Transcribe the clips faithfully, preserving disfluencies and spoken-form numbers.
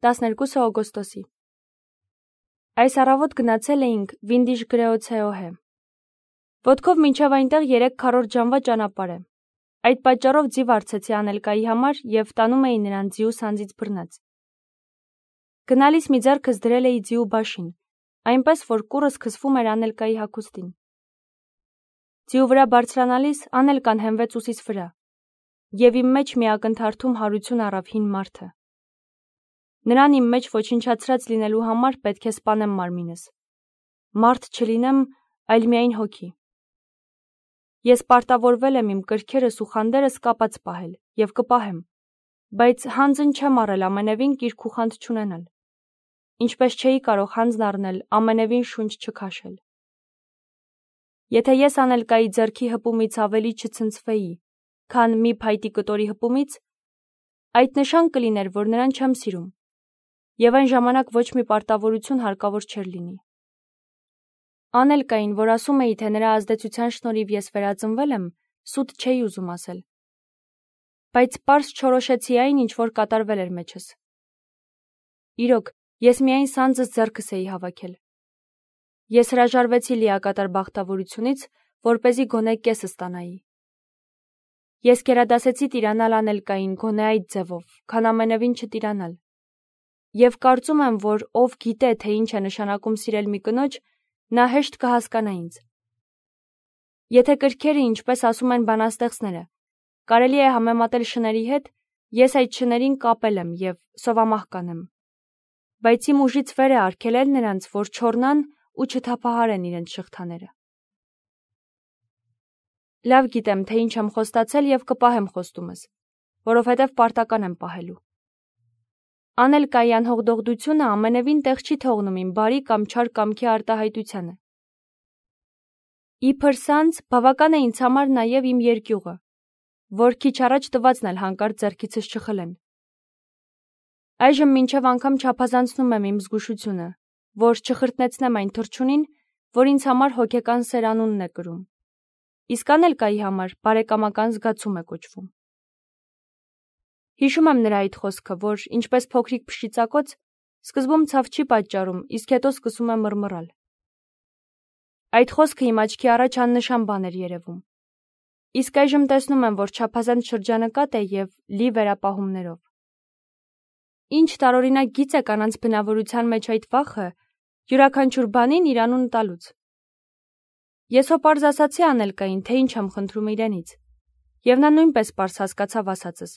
տասներկուսը օգոստոսի։ Այս առավոտ գնացել էինք Վինդիժ Գրեոցեոհե։ Ոտքով մինչև այնտեղ երեք քառորդ ժամվա ճանապարհ է։ Այդ պատճառով ձիվ արցեցի Անելկայի համար և տանում էի նրան ձիու սանձից բռնած։ Գնալիս մի ձեռքս դրել էի ձիու բաշին, այնպես որ կուռս քսվում էր Անելկայի հագուստին։ Ձիու վրա բարձրանալիս Անելկան հենվեց ուսիս վրա, և իմ մեջ մի ակնթարթում հարություն առավ հին մարդը։ Նրան իմ մեջ ոչնչացրած լինելու համար պետք է սպանեմ մարմինս։ Մարդ չլինեմ, այլ միայն հոգի։ Ես պարտավորվել եմ իմ կրքերս ու խանդերս կապած պահել և կպահեմ, բայց հանձն չեմ առել ամենևին կիրք ու խանդ չունենալ, ինչպես չէի կարող հանձն առնել ամենևին շունչ չքաշել։ Եթե ես Անելկայի ձեռքի հպումից ավելի չցնցվեի, քան մի փայտի կտորի հպումից, այդ նշան կլիներ, որ նրան չեմ սիրում, և այն ժամանակ ոչ մի պարտավորություն հարկավոր չէր լինի։ Անելկային, որ ասում էի, թե նրա ազդեցության շնորհիվ ես վերածնվել եմ, սուտ չէի ուզում ասել։ Բայց պարզ չորոշեցի այն, ինչ որ կատարվել էր մեջս։ Իրոք, ես միայն սանձս ձեռքս էի հավաքել։ Ես հրաժարվեցի լիակատար բախտավորությունից, որպեսզի գոնե կեսը ստանայի։ Ես գերադասեցի տիրանալ Անելկային գոնե այդ ձևով, քան ամենևին չտիրանալ։ Եվ կարծում եմ, որ ով գիտե, թե ինչ է նշանակում սիրել մի կնոջ, նա հեշտ կհասկանա ինձ։ Եթե կրքերը, ինչպես ասում են բանաստեղծները, կարելի է համեմատել շների հետ, ես այդ շներին կապել եմ և սովամահ կանեմ։ Բայց իմ ուժից վեր է արգելել նրանց, որ չոռնան ու չթափահարեն իրենց շղթաները։ Լավ գիտեմ, թե ինչ եմ խոստացել և կպահեմ խոստումս, որովհետև պարտական եմ պահելու։ Անելկայի անհողդողդությունը ամենևին տեղ չի թողնում իմ բարի կամ չար կամքի արտահայտությանը։ Իբր սանձ բավական է ինձ համար նաև իմ երկյուղը, որ քիչ առաջ տվածն էլ հանկարծ ձեռքիցս չխլեն։ Այժմ մինչև անգամ չափազանցնում եմ իմ զգուշությունը, որ չխրտնեցնեմ այն թռչունին, որ ինձ համար հոգեկան սեր անունն է կրում, իսկ Անելկայի համար բարեկամական զգացում է կոչվում։ Հիշում եմ նրա այդ խոսքը, որ ինչպես փոքրիկ փշիծակոց, սկզբում ցավ չի պատճառում, իսկ հետո սկսում է մռմռալ։ Այդ խոսքը իմ աչքի առաջ աննշան բան էր երևում։ Իսկ այժմ տեսնում եմ, որ չափազանց շրջանկատ է և լի վերապահումներով։ Ինչ տարօրինակ գիծ է կանանց բնավորության մեջ այդ վախը, յուրաքանչյուր բանին իր անուն տալուց։ Ես հո պարզ ասացի Անելկային, թե ինչ եմ խնդրում իրենից, և նա նույնպես պարզ հասկացավ ասածս։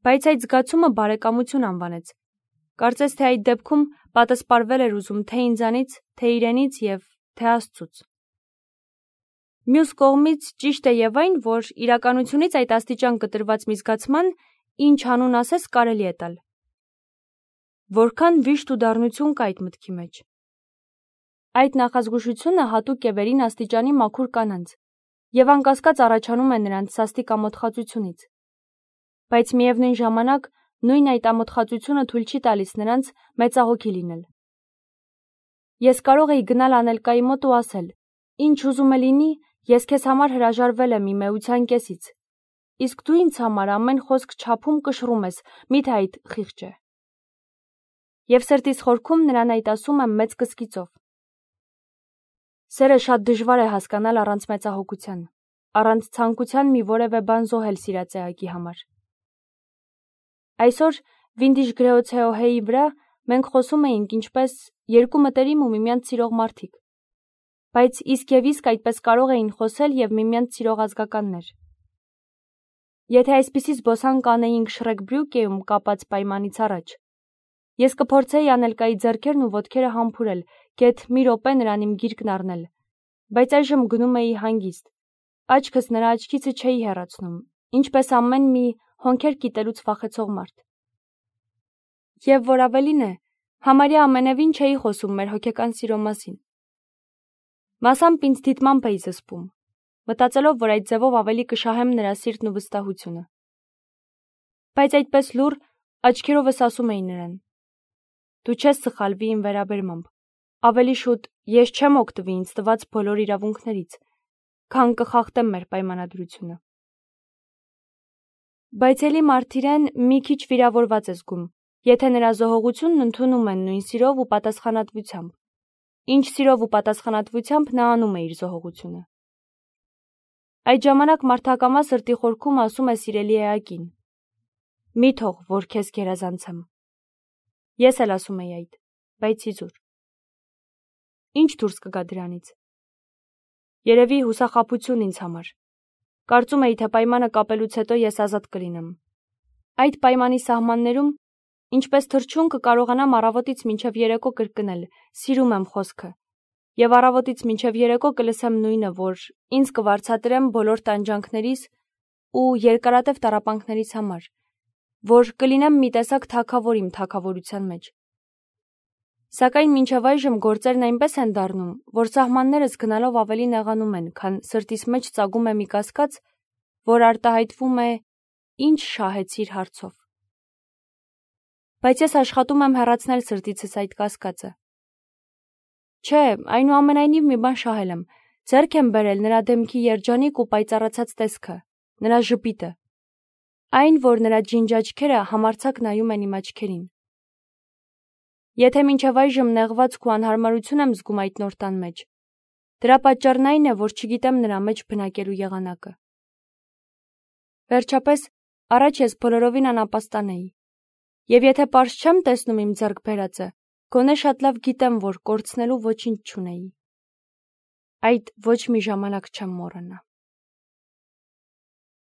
Բայց այդ զգացումը բարեկամություն անվանեց։ Կարծես թե այդ դեպքում պատասպարվել էր ուզում թե ինձանից, թե իրենից և թե Աստծուց։ Մյուս կողմից ճիշտ է և այն, որ իրականությունից այդ աստիճան կտրված մի զգացման, ինչ անուն ասես, կարելի է տալ։ Որքան վիշտ ու դառնություն կա այդ մտքի մեջ։ Այդ նախազգուշությունը հատուկ է վերին աստիճանի մաքուր կանանց և անկասկած առաջանում է նրանց սաստիկ ամոթխածությունից։ Բայց միևնույն ժամանակ նույն այդ ամոթխածությունը թույլ չի տալիս նրանց մեծահոգի լինել։ Ես կարող էի գնալ Անելկայի մոտ ու ասել. «Ինչ ուզում է լինի, ես քեզ համար հրաժարվել եմ իմ էության կեսից, իսկ դու ինձ համար ամեն խոսք չափում կշռում ես, միթե այդ խիղճ է»։ Եվ սրտիս խորքում նրան այդ ասում եմ մեծ կսկիծով։ Սերը շատ դժվար է հասկանալ առանց մեծահոգության, առանց ցանկության մի որևէ բան զոհել սիրած էակի համար։ Այսօր Վինդիժ Գրեոցեոհեի վրա մենք խոսում էինք ինչպես երկու մտերիմ ու միմյանց սիրող մարդիկ, բայց իսկ և իսկ այդպես կարող էին խոսել և միմյանց սիրող ազգականներ։ Եթե այսպիսի զբոսանք անեինք Շրեկբրյուկեում կապած պայմանից առաջ, ես կփորձեի Անելկայի ձեռքերն ու ոտքերը համբուրել, գեթ մի րոպե նրան իմ գիրկն առնել, բայց այժմ գնում էի հանգիստ, աչքս նրա աչքիցը չէի հեռացնում, ինչպես ամեն մի հոնքեր կիտելուց վախեցող մարդ։ Եվ որ ավելին է, համարյա ամենևին չէի խոսում մեր հոգեկան սիրո մասին։ Մասամբ ինձ դիտմամբ էի զսպում, մտածելով, որ այդ ձևով ավելի կշահեմ նրա սիրտն ու վստահությունը։ Բայց այդպես լուռ աչքերովս ասում էի նրան. «Դու չես սխալվի իմ վերաբերմամբ, ավելի շուտ ես չեմ օգտվի ինձ տված բոլոր իրավունքներից, քան կխախտեմ մեր պայմանադրությունը»։ Բայց էլի Մարտիրեն մի քիչ վիրավորված է զգում, Եթե նրա զոհողությունն ընդունում են նույն սիրով ու պատասխանատվությամբ, ինչ սիրով ու պատասխանատվությամբ նա անում է իր զոհողությունը։ Այդ ժամանակ մարդակամա սրտի խորքում ասում է սիրելի էակին. «Մի թող, որ քեզ գերազանցեմ»։ Ես էլ ասում եի այդ, բայց իզուր։ Ինչ դուրս կգա դրանից։ Երևի հուսախաբություն ինձ համար։ Կարծում էի, թե պայմանը կապելուց հետո ես ազատ կլինեմ։ Այդ պայմանի սահմաններում, ինչպես թռչուն կկարողանամ առավոտից մինչև երեկո կրկնել. «Սիրում եմ» խոսքը, եւ առավոտից մինչև երեկո կլսեմ նույնը, որ ինձ կվարձատրեմ բոլոր տանջանքներիս ու երկարատև տառապանքներիս համար, որ կլինեմ մի տեսակ թագավոր իմ թագավորության մեջ։ Սակայն մինչև այժմ գործերն այնպես են դառնում, որ սահմաններս գնալով ավելի նեղանում են, քան սրտիս մեջ ծագում է մի կասկած, որ արտահայտվում է «Ինչ շահեցիր» հարցով։ Բայց ես աշխատում եմ հեռացնել սրտիցս այդ կասկածը։ Չէ, այնուամենայնիվ մի բան շահել եմ, ձեռք եմ բերել նրա դեմքի երջանիկ ու պայծառացած տեսքը, նրա ժպիտը, այն, որ նրա ջինջ աչքերը համարձակ նայում են իմ աչքերին։ Եթե մինչև այժմ նեղվածք ու անհարմարություն եմ զգում այդ նոր տան մեջ, դրա պատճառն այն է, որ չգիտեմ նրա մեջ բնակելու եղանակը։ Վերջապես, առաջ ես բոլորովին անապաստան էի, եւ եթե պարզ չեմ տեսնում իմ ձեռք բերածը, գոնե շատ լավ գիտեմ, որ կորցնելու ոչինչ չունեի։ Այդ ոչ մի ժամանակ չեմ մոռանա։